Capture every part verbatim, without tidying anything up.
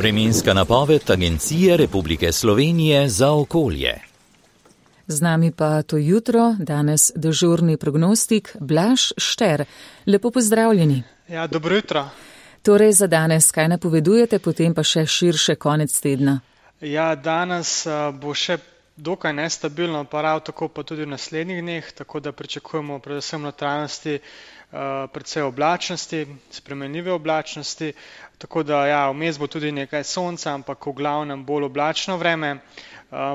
Vremenska napoved Agencije Republike Slovenije za okolje. Z nami pa to jutro, danes dežurni prognostik Blaž Šter. Lepo pozdravljeni. Ja, dobro jutro. Torej za danes, kaj napovedujete, potem pa še širše konec tedna? Ja, danes bo še dokaj nestabilno, pa prav tako pa tudi v naslednjih dneh, tako da pričakujemo predvsem notranjosti, predvsej oblačnosti, spremenljive oblačnosti, tako da ja, vmes bo tudi nekaj sonca, ampak v glavnem bolj oblačno vreme.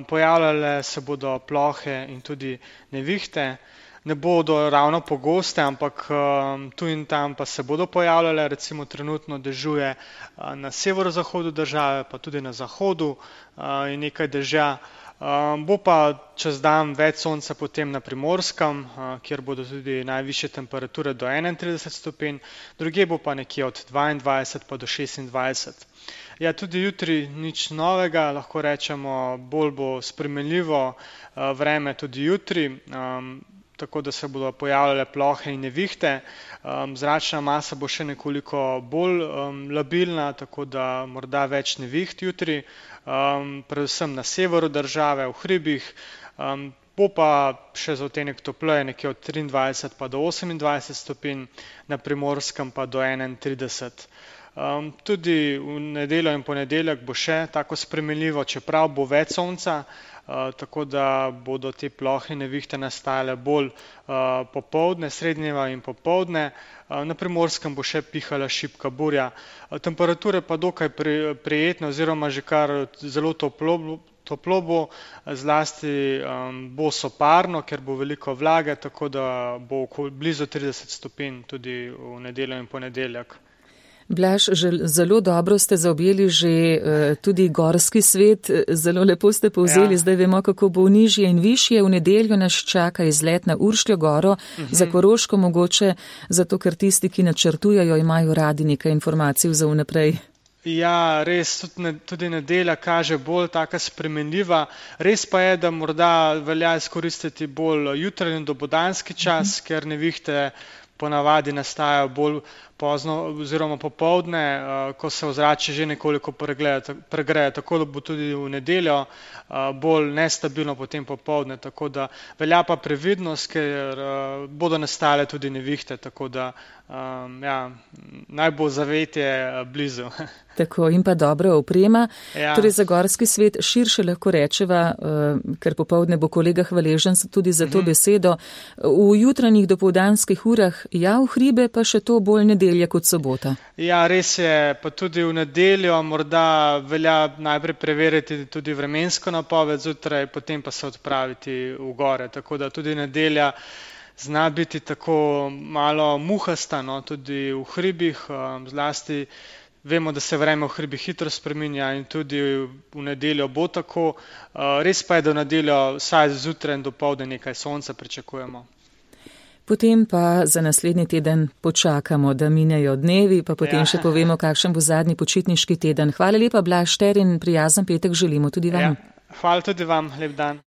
Pojavljale se bodo plohe in tudi nevihte, ne bodo ravno pogoste, ampak tu in tam pa se bodo pojavljale, recimo trenutno dežuje na severozahodu države, pa tudi na zahodu in nekaj dežja. Bo pa čez dan več sonca potem na Primorskem, kjer bodo tudi najvišje temperature do enaintrideset stopinj, drugje bo pa nekje od dvaindvajset pa do šestindvajset. Ja, tudi jutri nič novega, lahko rečemo, bolj bo spremenljivo vreme tudi jutri, tako da se bodo pojavljale plohe in nevihte. Zračna masa bo še nekoliko bolj labilna, tako da morda več neviht jutri, predvsem na severu države, v hribih. Bo pa še za odtenek topleje, nekje od triindvajset pa do osemindvajset stopinj, na Primorskem pa do enaintrideset. Um, tudi v nedeljo in ponedeljek bo še tako spremenljivo, čeprav bo več sonca, uh, tako da bodo te plohe nevihte nastajale bolj uh, popoldne, srednjeva in popoldne. Uh, na Primorskem bo še pihala šibka burja. Uh, temperature pa dokaj pri, prijetne oziroma že kar zelo toplo, toplo bo, zlasti um, bo soparno, ker bo veliko vlage, tako da bo blizu trideset stopinj tudi v nedeljo in ponedeljek. Blaž, zelo dobro ste zaobjeli že uh, tudi gorski svet, zelo lepo ste povzeli, ja. Zdaj vemo, kako bo nižje in višje. V nedeljo nas čaka izlet na Uršljo goro, uh-huh. Za Koroško mogoče, zato ker tisti, ki načrtujejo, imajo radi nekaj informacij za vnaprej. Ja, res, tudi, ne, tudi nedelja kaže bolj taka spremenljiva. Res pa je, da morda velja izkoristiti bolj jutranji dopoldanski čas, uh-huh. Ker nevihte ponavadi nastajajo bolj pozno oziroma popoldne, ko se ozračje že nekoliko pregreje, tako da bo tudi v nedeljo bolj nestabilno potem popoldne, tako da velja pa previdnost, ker bodo nastale tudi nevihte, tako da ja, naj bo zavetje blizu. Tako in pa dobra oprema. Ja. Torej za gorski svet širše lahko rečeva, ker popoldne bo kolega hvaležen tudi za to uh-huh. besedo. V jutranjih dopoldanskih urah ja, v hribe pa še to bolj nedelja kot sobota. Ja, res je, pa tudi v nedeljo morda velja najprej preveriti tudi vremensko napoved zjutraj, potem pa se odpraviti v gore, tako da tudi nedelja zna biti tako malo muhasta, no, tudi v hribih, zlasti vemo, da se vreme v hribih hitro spreminja in tudi v nedeljo bo tako. Res pa je, da v nedeljo vsaj zjutraj in dopoldne nekaj sonca pričakujemo. Potem pa za naslednji teden počakamo, da minejo dnevi, pa potem ja. Še povemo, kakšen bo zadnji počitniški teden. Hvala lepa, Blaž Šter, in prijazen petek želimo tudi vam. Ja. Hvala tudi vam, lep dan.